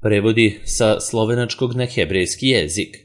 Prevodi sa slovenačkog na hebrejski jezik.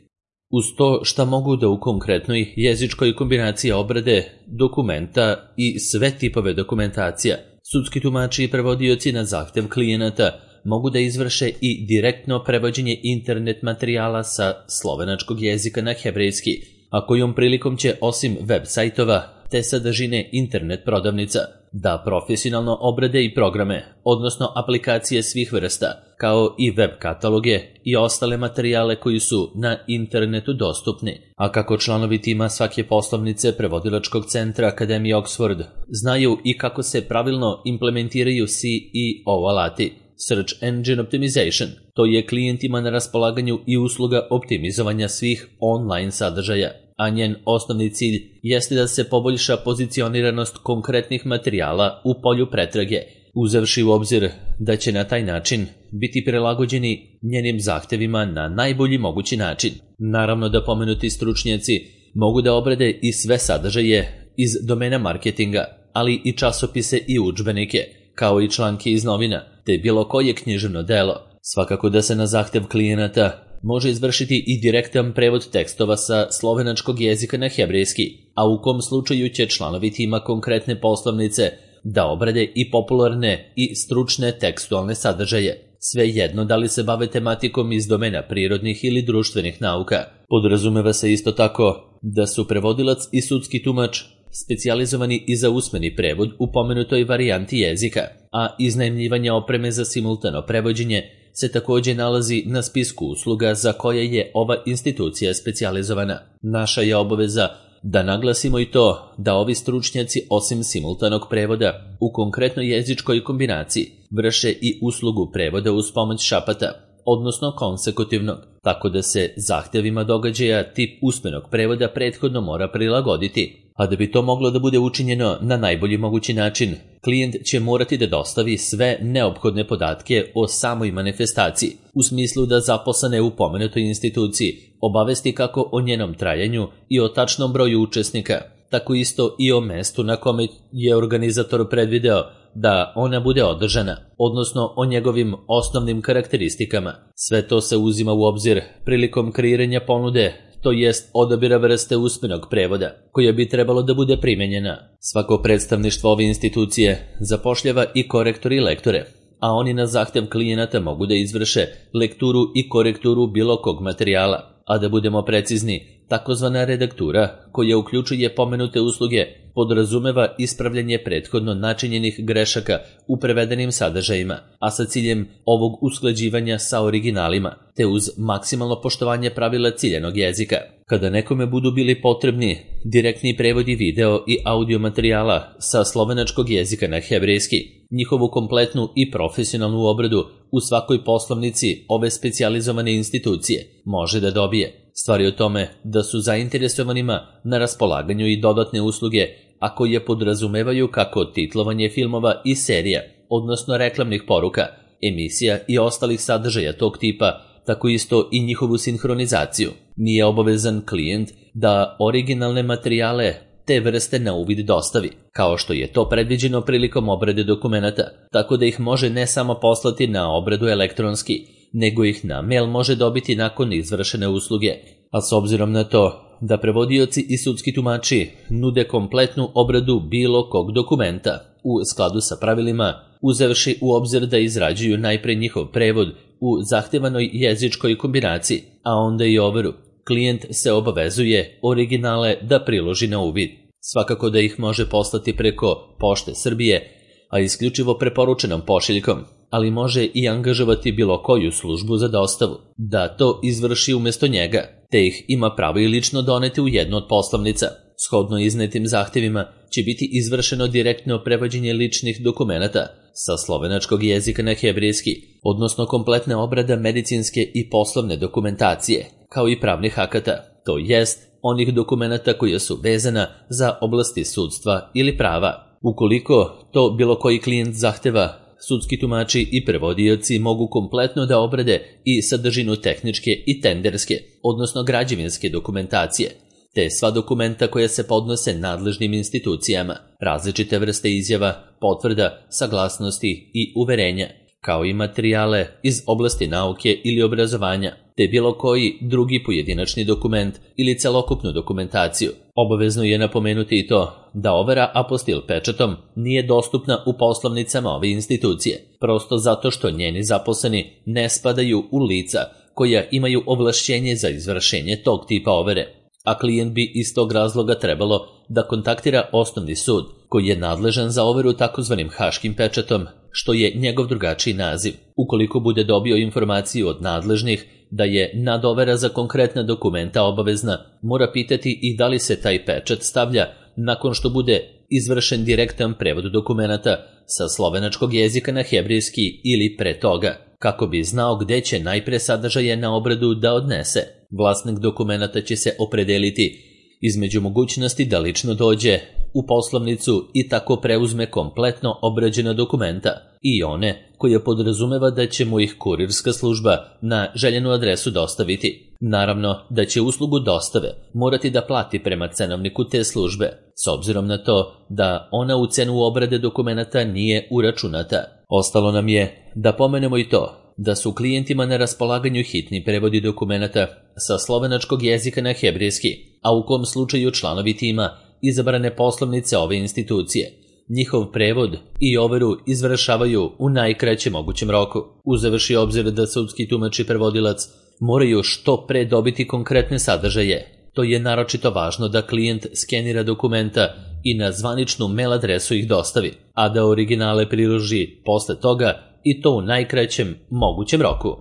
Uz to šta mogu da u konkretnoj jezičkoj kombinaciji obrade dokumenta i sve tipove dokumentacija, sudski tumači i prevodioci na zahtev klijenata mogu da izvrše i direktno prevođenje internet materijala sa slovenačkog jezika na hebrejski, a kojom prilikom će osim web sajtova te sadržine internet prodavnica da profesionalno obrade i programe, odnosno aplikacije svih vrsta, kao i web kataloge i ostale materijale koji su na internetu dostupni. A kako članovi tima svake poslovnice prevodilačkog centra Akademije Oxford znaju i kako se pravilno implementiraju SEO alati, Search Engine Optimization, to je klijentima na raspolaganju i usluga optimizovanja svih online sadržaja, a njen osnovni cilj jeste da se poboljša pozicioniranost konkretnih materijala u polju pretrage, uzevši u obzir da će na taj način biti prilagođeni njenim zahtevima na najbolji mogući način. Naravno da pomenuti stručnjaci mogu da obrade i sve sadržaje iz domena marketinga, ali i časopise i udžbenike, kao i članke iz novina, te bilo koje književno delo. Svakako da se na zahtev klijenata može izvršiti i direktan prevod tekstova sa slovenačkog jezika na hebrejski, a u kom slučaju će članovi tima konkretne poslovnice da obrade i popularne i stručne tekstualne sadržaje, svejedno da li se bave tematikom iz domena prirodnih ili društvenih nauka. Podrazumeva se isto tako da su prevodilac i sudski tumač specijalizovani i za usmeni prevod u pomenutoj varijanti jezika, a iznajmljivanje opreme za simultano prevođenje se također nalazi na spisku usluga za koje je ova institucija specijalizovana. Naša je obaveza da naglasimo i to da ovi stručnjaci osim simultanog prevoda u konkretnoj jezičkoj kombinaciji vrše i uslugu prevoda uz pomoć šapata, odnosno konsekutivnog, tako da se zahtevima događaja tip usmenog prevoda prethodno mora prilagoditi. A da bi to moglo da bude učinjeno na najbolji mogući način, klijent će morati da dostavi sve neophodne podatke o samoj manifestaciji, u smislu da zaposlene u pomenutoj instituciji obavesti kako o njenom trajanju i o tačnom broju učesnika, tako isto i o mestu na kome je organizator predvideo da ona bude održana, odnosno o njegovim osnovnim karakteristikama. Sve to se uzima u obzir prilikom kreiranja ponude, to jest odabira vrste usmenog prevoda, koja bi trebalo da bude primenjena. Svako predstavništvo ove institucije zapošljava i korektore i lektore, a oni na zahtev klijenata mogu da izvrše lekturu i korekturu bilo kog materijala, a da budemo precizni, takozvana redaktura, koja uključuje pomenute usluge, podrazumeva ispravljanje prethodno načinjenih grešaka u prevedenim sadržajima, a sa ciljem ovog usklađivanja sa originalima, te uz maksimalno poštovanje pravila ciljanog jezika. Kada nekome budu bili potrebni direktni prevodi video i audio materijala sa slovenačkog jezika na hebrejski, njihovu kompletnu i profesionalnu obradu u svakoj poslovnici ove specijalizovane institucije može da dobije. Stvar je o tome da su zainteresovanima na raspolaganju i dodatne usluge, a koje podrazumevaju kako titlovanje filmova i serija, odnosno reklamnih poruka, emisija i ostalih sadržaja tog tipa, tako isto i njihovu sinhronizaciju. Nije obavezan klijent da originalne materijale te vrste na uvid dostavi, kao što je to predviđeno prilikom obrade dokumenata, tako da ih može ne samo poslati na obradu elektronski, nego ih na mail može dobiti nakon izvršene usluge. A s obzirom na to da prevodioci i sudski tumači nude kompletnu obradu bilo kog dokumenta u skladu sa pravilima, uzevši u obzir da izrađuju najpre njihov prevod u zahtevanoj jezičkoj kombinaciji, a onda i overu, klijent se obavezuje originale da priloži na uvid. Svakako da ih može poslati preko Pošte Srbije, a isključivo preporučenom pošiljkom, ali može i angažovati bilo koju službu za dostavu, da to izvrši umjesto njega, te ih ima pravo i lično doneti u jednu od poslovnica. Shodno iznetim zahtevima će biti izvršeno direktno prevođenje ličnih dokumenata sa slovenačkog jezika na hebrejski, odnosno kompletna obrada medicinske i poslovne dokumentacije, kao i pravnih akata, to jest onih dokumenata koja su vezana za oblasti sudstva ili prava. Ukoliko to bilo koji klijent zahteva, sudski tumači i prevodioci mogu kompletno da obrade i sadržinu tehničke i tenderske, odnosno građevinske dokumentacije, te sva dokumenta koja se podnose nadležnim institucijama, različite vrste izjava, potvrda, saglasnosti i uverenja, kao i materijale iz oblasti nauke ili obrazovanja, te bilo koji drugi pojedinačni dokument ili celokupnu dokumentaciju. Obavezno je napomenuti i to da overa apostil pečatom nije dostupna u poslovnicama ove institucije, prosto zato što njeni zaposleni ne spadaju u lica koja imaju ovlašćenje za izvršenje tog tipa overe, a klijent bi iz tog razloga trebalo da kontaktira osnovni sud koji je nadležan za overu takozvanim haškim pečatom, što je njegov drugačiji naziv. Ukoliko bude dobio informaciju od nadležnih da je nadovera za konkretna dokumenta obavezna, mora pitati i da li se taj pečat stavlja nakon što bude izvršen direktan prevod dokumenata sa slovenačkog jezika na hebrejski ili pre toga, kako bi znao gde će najpre sadržaje na obradu da odnese. Vlasnik dokumenata će se opredeliti između mogućnosti da lično dođe u poslovnicu i tako preuzme kompletno obrađena dokumenta i one koje podrazumeva da će mu ih kurirska služba na željenu adresu dostaviti. Naravno da će uslugu dostave morati da plati prema cenovniku te službe, s obzirom na to da ona u cenu obrade dokumenata nije uračunata. Ostalo nam je da pomenemo i to da su klijentima na raspolaganju hitni prevodi dokumenata sa slovenačkog jezika na hebrejski, a u kom slučaju članovi tima izabrane poslovnice ove institucije njihov prevod i overu izvršavaju u najkraćem mogućem roku. Uzevši obzir da sudski tumač i prevodilac moraju što pre dobiti konkretne sadržaje, to je naročito važno da klijent skenira dokumenta i na zvaničnu mail adresu ih dostavi, a da originale priloži posle toga i to u najkraćem mogućem roku.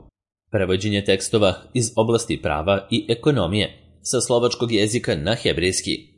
Prevođenje tekstova iz oblasti prava i ekonomije sa slovačkog jezika na hebrejski.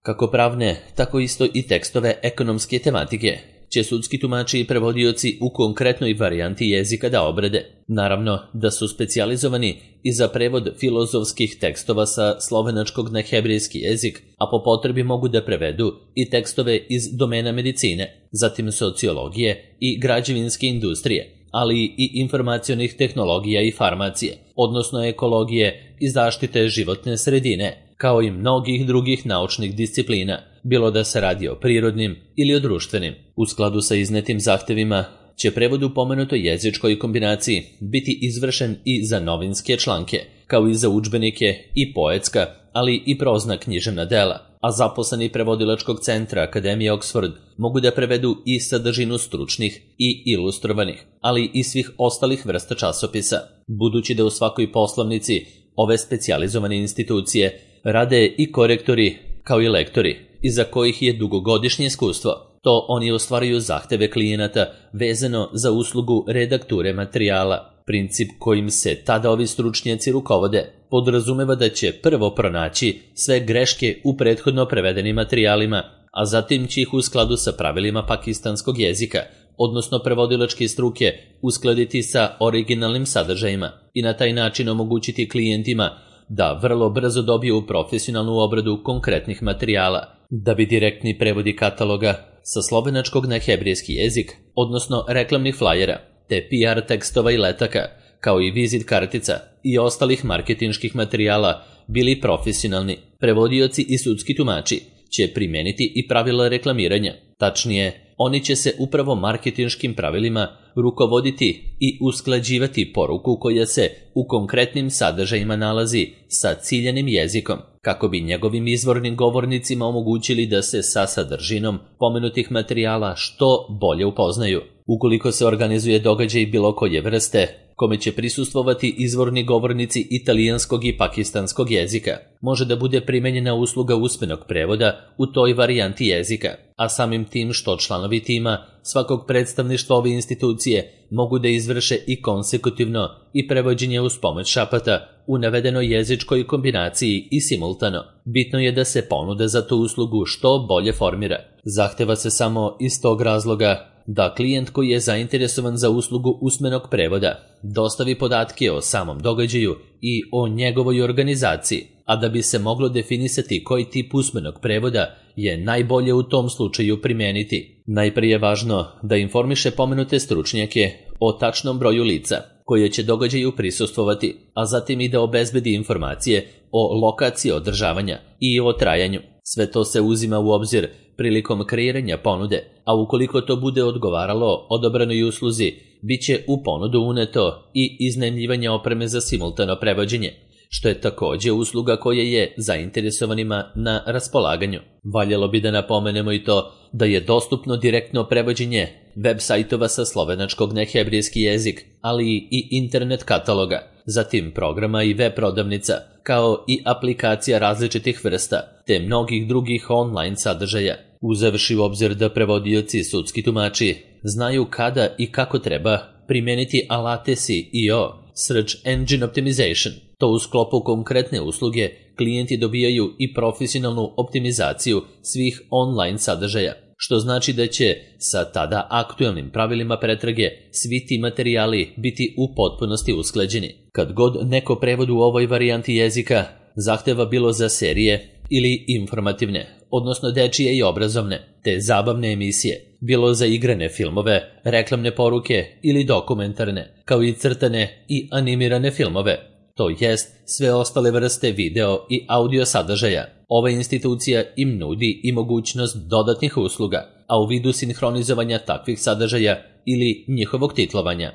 Kako pravne, tako isto i tekstove ekonomske tematike će sudski tumači i prevodioci u konkretnoj varijanti jezika da obrade. Naravno da su specijalizovani i za prevod filozofskih tekstova sa slovenačkog na hebrejski jezik, a po potrebi mogu da prevedu i tekstove iz domena medicine, zatim sociologije i građevinske industrije, ali i informacionih tehnologija i farmacije, odnosno ekologije i zaštite životne sredine, kao i mnogih drugih naučnih disciplina, bilo da se radi o prirodnim ili o društvenim. U skladu sa iznetim zahtevima će prevod u pomenutoj jezičkoj kombinaciji biti izvršen i za novinske članke, kao i za udžbenike i poetska, ali i prozna književna dela, a zaposleni prevodilačkog centra Akademije Oxford mogu da prevedu i sadržinu stručnih i ilustrovanih, ali i svih ostalih vrsta časopisa, budući da u svakoj poslovnici ove specijalizovane institucije rade i korektori kao i lektori, iza kojih je dugogodišnje iskustvo. To oni ostvaruju zahteve klijenata vezano za uslugu redakture materijala. Princip kojim se tada ovi stručnjaci rukovode podrazumeva da će prvo pronaći sve greške u prethodno prevedenim materijalima, a zatim će ih u skladu sa pravilima pakistanskog jezika, odnosno prevodilačke struke, uskladiti sa originalnim sadržajima i na taj način omogućiti klijentima da vrlo brzo dobiju profesionalnu obradu konkretnih materijala, da bi direktni prevodi kataloga sa slovenačkog na hebrejski jezik, odnosno reklamnih flajera, te PR tekstova i letaka, kao i vizit kartica i ostalih marketinških materijala bili profesionalni. Prevodioci i sudski tumači će primeniti i pravila reklamiranja. Tačnije, oni će se upravo marketinškim pravilima rukovoditi i usklađivati poruku koja se u konkretnim sadržajima nalazi sa ciljanim jezikom, kako bi njegovim izvornim govornicima omogućili da se sa sadržinom pomenutih materijala što bolje upoznaju. Ukoliko se organizuje događaj bilo koje vrste, kome će prisustvovati izvorni govornici italijanskog i pakistanskog jezika, može da bude primenjena usluga usmenog prevoda u toj varijanti jezika, a samim tim što članovi tima svakog predstavništva ove institucije mogu da izvrše i konsekutivno i prevođenje uz pomoć šapata u navedenoj jezičkoj kombinaciji i simultano. Bitno je da se ponuda za tu uslugu što bolje formira. Zahteva se samo iz tog razloga da klijent koji je zainteresovan za uslugu usmenog prevoda dostavi podatke o samom događaju i o njegovoj organizaciji, a da bi se moglo definisati koji tip usmenog prevoda je najbolje u tom slučaju primeniti. Najprije je važno da informiše pomenute stručnjake o tačnom broju lica koje će događaju prisustvovati, a zatim i da obezbedi informacije o lokaciji održavanja i o trajanju. Sve to se uzima u obzir prilikom kreiranja ponude, a ukoliko to bude odgovaralo odobranoj usluzi, bit će u ponudu uneto i iznajmljivanje opreme za simultano prevođenje, što je također usluga koja je zainteresovanima na raspolaganju. Valjalo bi da napomenemo i to da je dostupno direktno prevođenje web sajtova sa slovenačkog na hebrejski jezik, ali i internet kataloga, zatim programa i web prodavnica, kao i aplikacija različitih vrsta, te mnogih drugih online sadržaja. Uzevši u obzir da prevodioci i sudski tumači znaju kada i kako treba primeniti alate SEO, Search Engine Optimization, to u sklopu konkretne usluge klijenti dobijaju i profesionalnu optimizaciju svih online sadržaja, što znači da će sa tada aktuelnim pravilima pretrage svi ti materijali biti u potpunosti usklađeni. Kad god neko prevod u ovoj varijanti jezika zahteva bilo za serije ili informativne, odnosno dečije i obrazovne, te zabavne emisije, bilo za igrane filmove, reklamne poruke ili dokumentarne, kao i crtane i animirane filmove, to jest sve ostale vrste video i audio sadržaja. Ova institucija im nudi i mogućnost dodatnih usluga, a u vidu sinhronizovanja takvih sadržaja ili njihovog titlovanja.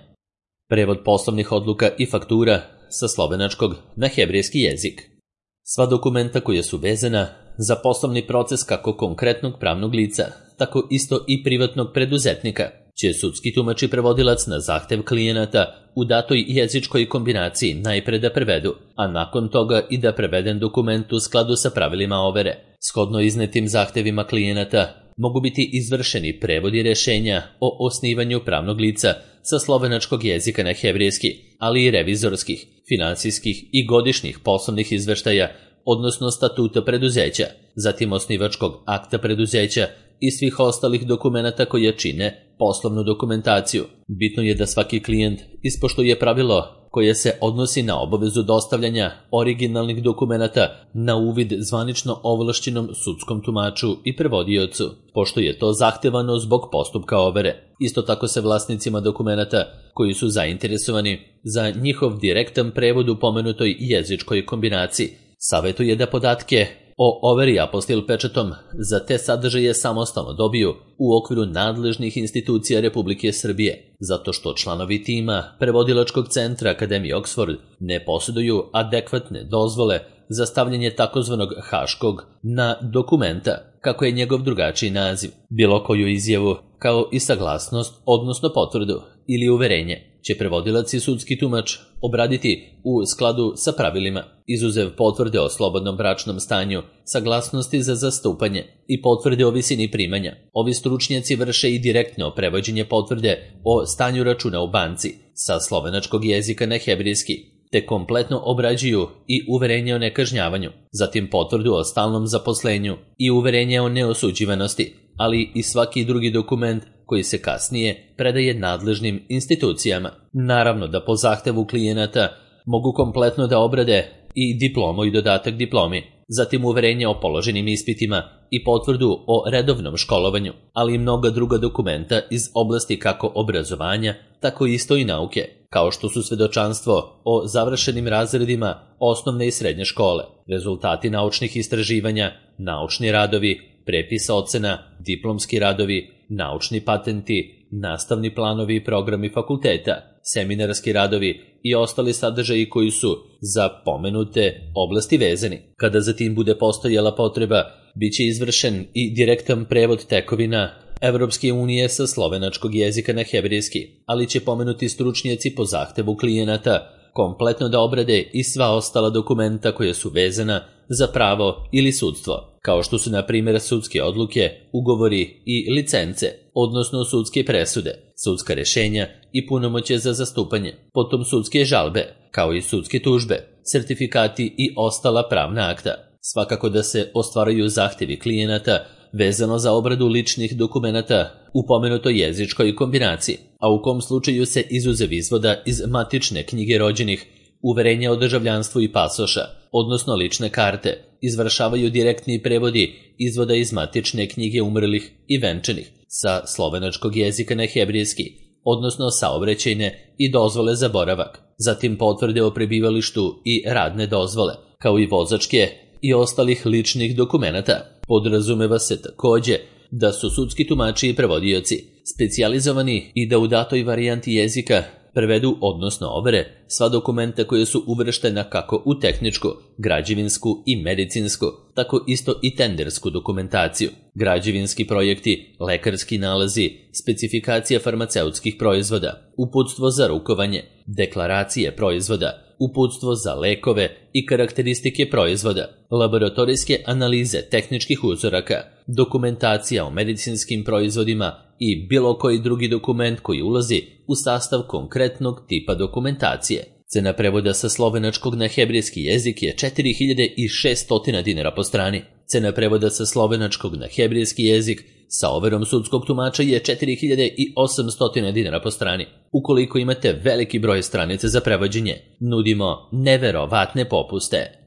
Prevod poslovnih odluka i faktura sa slovenačkog na hebrejski jezik. Sva dokumenta koja su vezana za poslovni proces kako konkretnog pravnog lica, tako isto i privatnog preduzetnika, će sudski tumač i prevodilac na zahtev klijenata u datoj jezičkoj kombinaciji najpre da prevedu, a nakon toga i da preveden dokument u skladu sa pravilima overe. Shodno iznetim zahtevima klijenata mogu biti izvršeni prevodi rješenja o osnivanju pravnog lica sa slovenačkog jezika na hebrejski, ali i revizorskih, finansijskih i godišnjih poslovnih izveštaja, odnosno statuta preduzeća, zatim osnivačkog akta preduzeća i svih ostalih dokumenata koje čine poslovnu dokumentaciju. Bitno je da svaki klijent ispoštuje pravilo koje se odnosi na obavezu dostavljanja originalnih dokumenata na uvid zvanično ovlašćenom sudskom tumaču i prevodiocu, pošto je to zahtevano zbog postupka overe. Isto tako se vlasnicima dokumenata koji su zainteresovani za njihov direktan prevod u pomenutoj jezičkoj kombinaciji savjetuje da podatke o overi apostil pečatom za te sadržaje samostalno dobiju u okviru nadležnih institucija Republike Srbije, zato što članovi tima Prevodilačkog centra Akademije Oxford ne posjeduju adekvatne dozvole za stavljanje takozvanog haškog na dokumenta, kako je njegov drugačiji naziv. Bilo koju izjavu, kao i saglasnost, odnosno potvrdu ili uverenje, će prevodilac i sudski tumač obraditi u skladu sa pravilima, izuzev potvrde o slobodnom bračnom stanju, saglasnosti za zastupanje i potvrde o visini primanja. Ovi stručnjaci vrše i direktno prevođenje potvrde o stanju računa u banci sa slovenačkog jezika na hebrejski, te kompletno obrađuju i uverenje o nekažnjavanju, zatim potvrdu o stalnom zaposlenju i uverenje o neosuđivanosti, ali i svaki drugi dokument koji se kasnije predaje nadležnim institucijama. Naravno da po zahtevu klijenata mogu kompletno da obrade i diplomu i dodatak diplomi, zatim uverenje o položenim ispitima i potvrdu o redovnom školovanju, ali i mnoga druga dokumenta iz oblasti kako obrazovanja, tako isto i nauke, kao što su svedočanstvo o završenim razredima osnovne i srednje škole, rezultati naučnih istraživanja, naučni radovi, prepis ocena, diplomski radovi, naučni patenti, nastavni planovi i programi fakulteta, seminarski radovi i ostali sadržaji koji su za pomenute oblasti vezani. Kada zatim bude postojala potreba, bit će izvršen i direktan prevod tekovina Evropske unije sa slovenačkog jezika na hebrejski, ali će pomenuti stručnjaci po zahtevu klijenata kompletno da obrade i sva ostala dokumenta koja su vezana za pravo ili sudstvo, kao što su na primjer sudske odluke, ugovori i licence, odnosno sudske presude, sudska rješenja i punomoćje za zastupanje, potom sudske žalbe, kao i sudske tužbe, sertifikati i ostala pravna akta. Svakako da se ostvaraju zahtjevi klijenata vezano za obradu ličnih dokumenata u pomenutoj jezičkoj kombinaciji, a u kom slučaju se izuzev izvoda iz matične knjige rođenih, uverenja o državljanstvu i pasoša, odnosno lične karte, izvršavaju direktni prevodi izvoda iz matične knjige umrlih i venčanih sa slovenačkog jezika na hebrejski, odnosno saobraćajne i dozvole za boravak, zatim potvrde o prebivalištu i radne dozvole, kao i vozačke i ostalih ličnih dokumenata. Podrazumeva se takođe da su sudski tumači i prevodioci specijalizovani i da u datoj varijanti jezika prevedu, odnosno overe, sva dokumenta koja su uvrštena kako u tehničku, građevinsku i medicinsku, tako isto i tendersku dokumentaciju, građevinski projekti, lekarski nalazi, specifikacija farmaceutskih proizvoda, uputstvo za rukovanje, deklaracije proizvoda, uputstvo za lekove i karakteristike proizvoda, laboratorijske analize tehničkih uzoraka, dokumentacija o medicinskim proizvodima i bilo koji drugi dokument koji ulazi u sastav konkretnog tipa dokumentacije. Cena prevoda sa slovenačkog na hebrejski jezik je 4600 dinara po strani. Cena prevoda sa slovenačkog na hebrejski jezik sa overom sudskog tumača je 4800 dinara po strani. Ukoliko imate veliki broj stranica za prevođenje, nudimo neverovatne popuste.